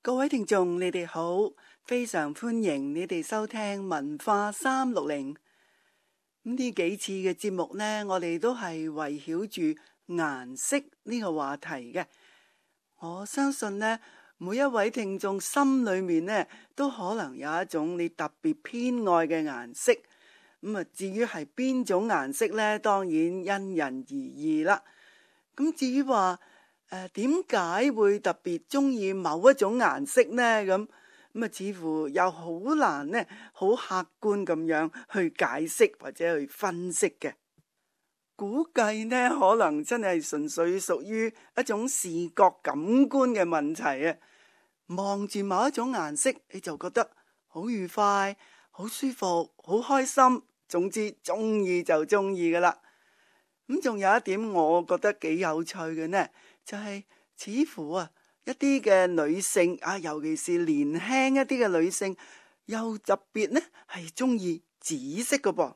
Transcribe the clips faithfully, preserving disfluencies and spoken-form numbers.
各位聽眾，你哋好，非常歡迎你哋收聽文化三六零。咁呢幾次嘅節目呢，我哋都係圍繞住顏色呢個話題嘅。我相信呢，每一位聽眾心裏面呢，都可能有一種你特別偏愛嘅顏色。咁啊，至於係邊種顏色呢，當然因人而異啦。咁至於話，誒，點解會特別中意某一種顏色呢？咁咁啊，似乎又好難呢，好客觀咁樣去解釋或者去分析嘅。估計呢，可能真係純粹屬於一種視覺感官嘅問題啊！望住某一種顏色，你就覺得好愉快、好舒服、好開心，總之中意就中意噶啦。咁仲有一點，我覺得幾有趣嘅呢。就係似乎啊，一啲嘅女性啊，尤其是年輕一啲嘅女性，又特別呢係中意紫色嘅噃。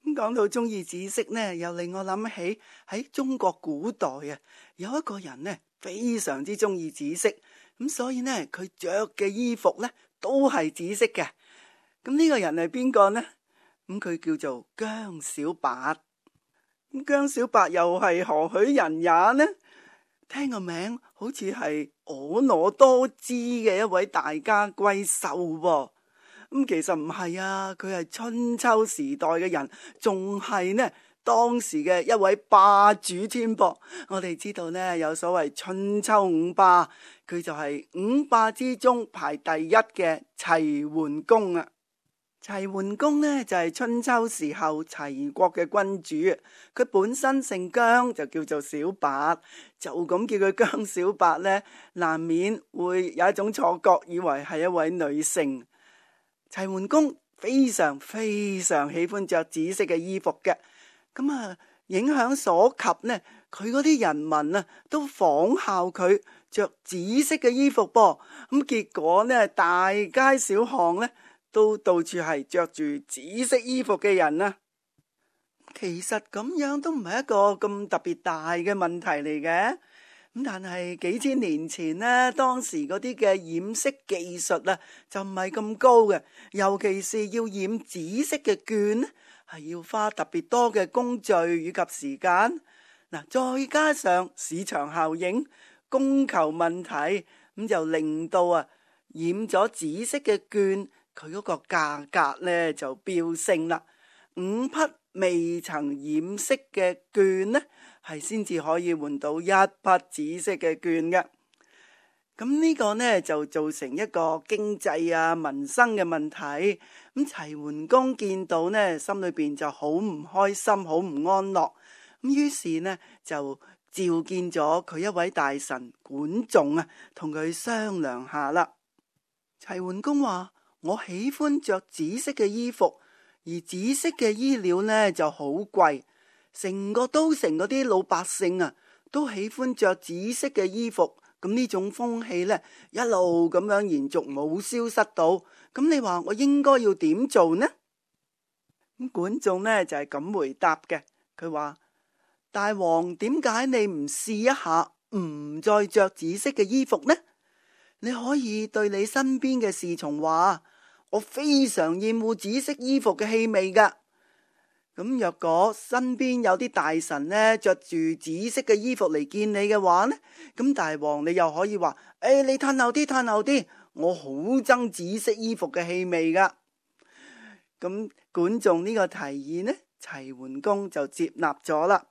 咁講到中意紫色呢，又令我諗起喺中國古代啊，有一個人呢非常之中意紫色，咁所以呢佢着嘅衣服呢都係紫色嘅。咁呢個人係邊個呢？咁佢叫做姜小白。姜小白又係何許人也呢？聽個名好似係婀娜多姿嘅一位大家閨秀喎。咁其實唔係啊，佢係春秋時代嘅人，仲係呢當時嘅一位霸主添噃。我哋知道呢，有所謂春秋五霸，佢就係五霸之中排第一嘅齊桓公啊。齊桓公呢，就係春秋時候齊國嘅君主，佢本身姓姜，就叫做小白，就咁叫佢姜小白呢，難免會有一種錯覺，以為係一位女性。齊桓公非常非常喜歡着紫色嘅衣服嘅，咁啊影響所及呢，佢嗰啲人民啊都仿效佢着紫色嘅衣服噃，咁結果呢，大街小巷呢，都到處係着住紫色衣服嘅人啊。其實咁樣都唔係一個咁特別大嘅問題嚟嘅。咁但係幾千年前呢，當時嗰啲嘅染色技術啊，就唔係咁高嘅，尤其是要染紫色嘅絹，係要花特別多嘅工序以及時間。嗱，再加上市場效應、供求問題，咁就令到啊染咗紫色嘅絹，佢嗰個價格呢就飆升啦。五匹未曾染色嘅絹呢，係先至可以換到一匹紫色嘅絹嘅。咁呢個呢就造成一個經濟啊民生嘅問題。咁齊桓公見到呢，心裏邊就好唔開心，好唔安樂。咁於是呢就召見咗佢一位大臣管仲啊，同佢商量下啦。齊桓公話：我喜歡着紫色嘅衣服，而紫色嘅衣料呢就好貴，成個都城嗰啲老百姓啊都喜歡着紫色嘅衣服，咁呢種風氣呢一路咁樣延續，冇消失到。咁你話我應該要點做呢？咁管仲呢就係咁回答嘅，佢話：大王，點解你唔試一下唔再着紫色嘅衣服呢？你可以對你身邊嘅侍從話：我非常厭惡紫色衣服嘅氣味噶。咁若果身邊有啲大臣呢着住紫色嘅衣服嚟見你嘅話呢，咁大王你又可以話：誒、哎，你褪後啲，褪後啲，我好憎紫色衣服嘅氣味噶。咁管仲呢個提議呢，齊桓公就接納咗啦。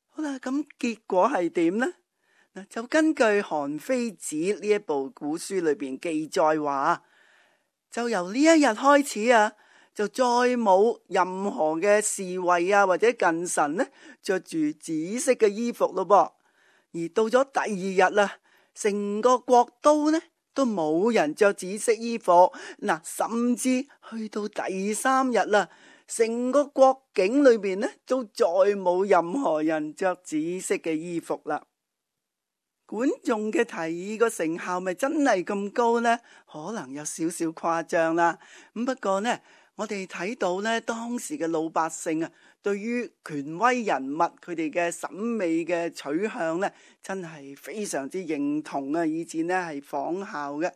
好啦，咁結果係點呢？就根據《韓非子》呢一部古書裏邊記載話，就由呢一日開始啊，就再冇任何嘅侍衛啊或者近臣呢着住紫色嘅衣服咯噃。而到咗第二日啦，成個國都呢都冇人着紫色衣服。嗱，甚至去到第三日啦，成個國境裏邊呢都再冇任何人着紫色嘅衣服啦。管仲嘅提議個成效咪真係咁高呢？可能有少少誇張啦。咁不過呢，我哋睇到呢，當時嘅老百姓啊，對於權威人物佢哋嘅審美嘅取向呢，真係非常之認同啊，以至呢係仿效嘅。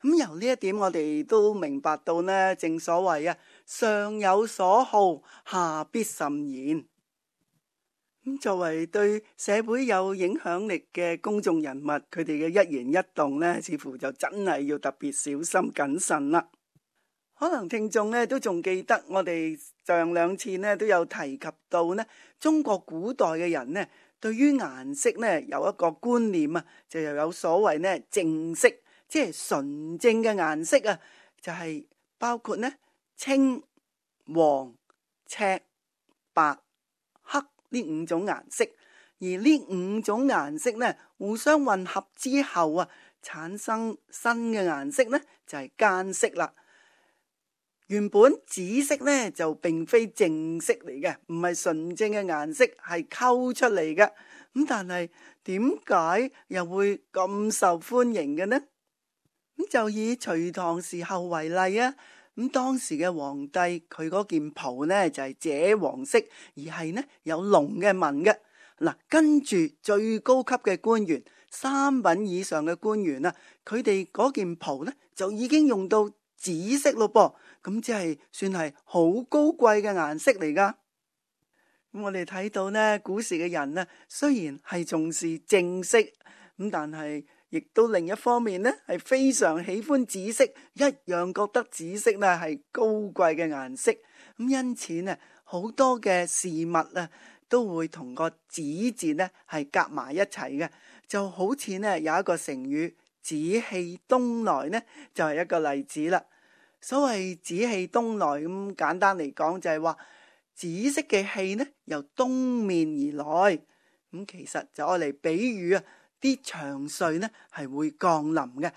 咁由呢一點，我哋都明白到呢，正所謂啊，上有所好，下必甚焉。咁作為對社會有影響力嘅公眾人物，佢哋嘅一言一動呢，似乎就真係要特別小心謹慎啦。可能聽眾呢都仲記得，我哋上兩次呢都有提及到呢，中國古代嘅人呢，對於顏色呢有一個觀念啊，就又有所謂呢正色，即係純正嘅顏色啊，就係包括呢青、黃、赤、白、黑呢五種顏色，而呢五種顏色呢互相混合之後啊，產生新嘅顏色呢就係間色啦。原本紫色呢就並非正色嚟嘅，唔係純正嘅顏色，係溝出嚟嘅。咁但係點解又會咁受歡迎嘅呢？咁就以隋唐時候為例啊。咁當時嘅皇帝佢嗰件袍呢就係赭黃色，而係呢有龍嘅紋嘅。嗱，跟住最高級嘅官員，三品以上嘅官員啊，佢哋嗰件袍呢就已經用到紫色咯噃。咁即係算係好高貴嘅顏色嚟噶。咁我哋睇到呢，古時嘅人呢，雖然係重視正色，咁但係亦都另一方面呢，係非常喜歡紫色，一樣覺得紫色呢係高貴嘅顏色。咁因此呢，好多嘅事物啊，都會同個紫字呢係夾埋一齊嘅。就好似呢有一個成語，紫氣東來呢，就係一個例子啦。所謂紫氣東來，咁簡單嚟講就係話紫色嘅氣呢由東面而來，咁其實就愛嚟比喻啊啲祥瑞呢係會降臨嘅。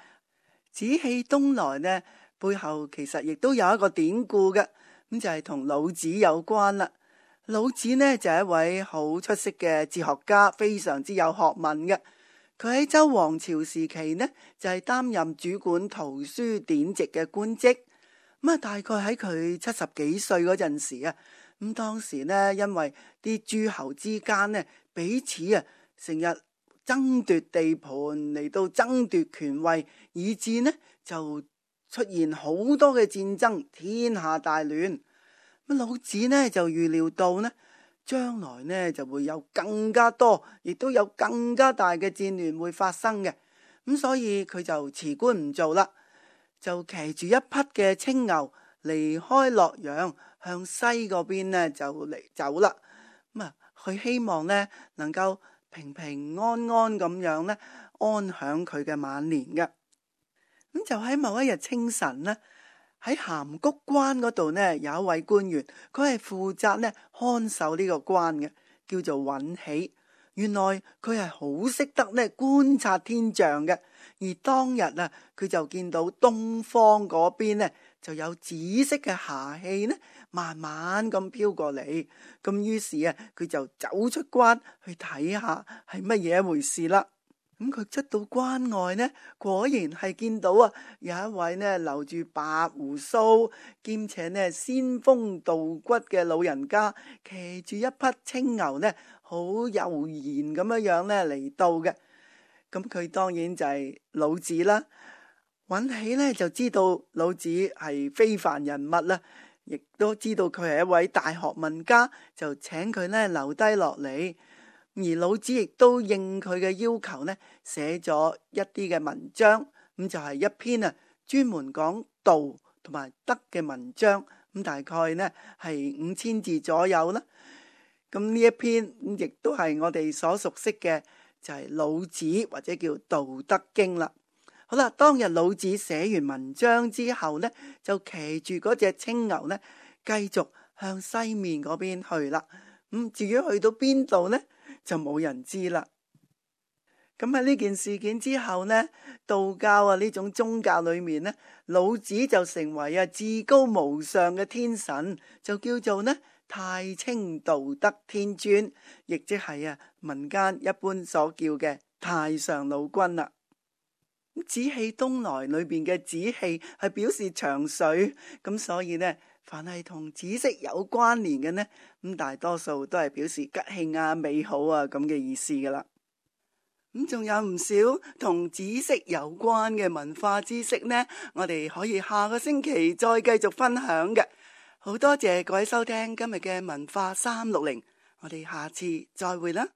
紫氣東來呢背後其實亦都有一個典故嘅，咁就係同老子有關啦。老子呢就係一位好出色嘅哲學家，非常之有學問嘅。佢喺周王朝時期呢就係擔任主管圖書典籍嘅官職。咁啊，大概喺佢七十幾歲嗰陣時啊，咁當時呢，因為啲諸侯之間呢彼此啊成日爭奪地盤嚟到爭奪權位，以致呢就出現好多嘅戰爭，天下大亂。咁老子呢就預料到呢，將來呢就會有更加多，亦都有更加大嘅戰亂會發生嘅。咁所以佢就辭官唔做啦。就騎住一匹嘅青牛離開洛陽，向西嗰邊呢就嚟走啦。咁啊，佢希望呢能夠平平安安咁樣呢安享佢嘅晚年嘅。咁就喺某一日清晨呢，喺函谷關嗰度呢有一位官員，佢係負責呢看守呢個關嘅，叫做尹喜。原來佢係好識得呢觀察天象嘅。而當日啊，佢就見到東方嗰邊呢就有紫色嘅霞氣呢，慢慢咁飄過嚟。咁於是啊，佢就走出關去睇下係乜嘢一回事啦。咁佢出到關外呢，果然係見到啊，有一位呢留住白鬍鬚兼且呢仙風道骨嘅老人家，騎住一匹青牛呢，好悠然咁樣樣呢嚟到嘅。咁佢當然就係老子啦。尹喜呢就知道老子係非凡人物啦，亦都知道佢係一位大學問家，就請佢呢留低落嚟。而老子亦都應佢嘅要求呢，寫咗一啲嘅文章，咁就係一篇啊專門講道同埋德嘅文章，咁大概呢係五千字左右啦。咁呢一篇亦都係我哋所熟悉嘅，就係老子或者叫《道德經》啦。好啦，當日老子寫完文章之後呢，就騎住嗰隻青牛呢，繼續向西面嗰邊去啦。咁至於去到邊度呢，就冇人知啦。咁喺呢件事件之後呢，道教啊呢種宗教裏面呢，老子就成為啊至高無上嘅天神，就叫做呢太清道德天尊，亦即係啊民間一般所叫嘅太上老君啦。紫氣東來裏邊嘅紫氣係表示長壽，咁所以呢凡係同紫色有關聯嘅呢，咁大多數都係表示吉慶啊、美好啊咁嘅意思噶啦。咁仲有唔少同紫色有關嘅文化知識呢，我哋可以下個星期再繼續分享嘅。好多謝各位收聽今日嘅文化三六零，我哋下次再會啦。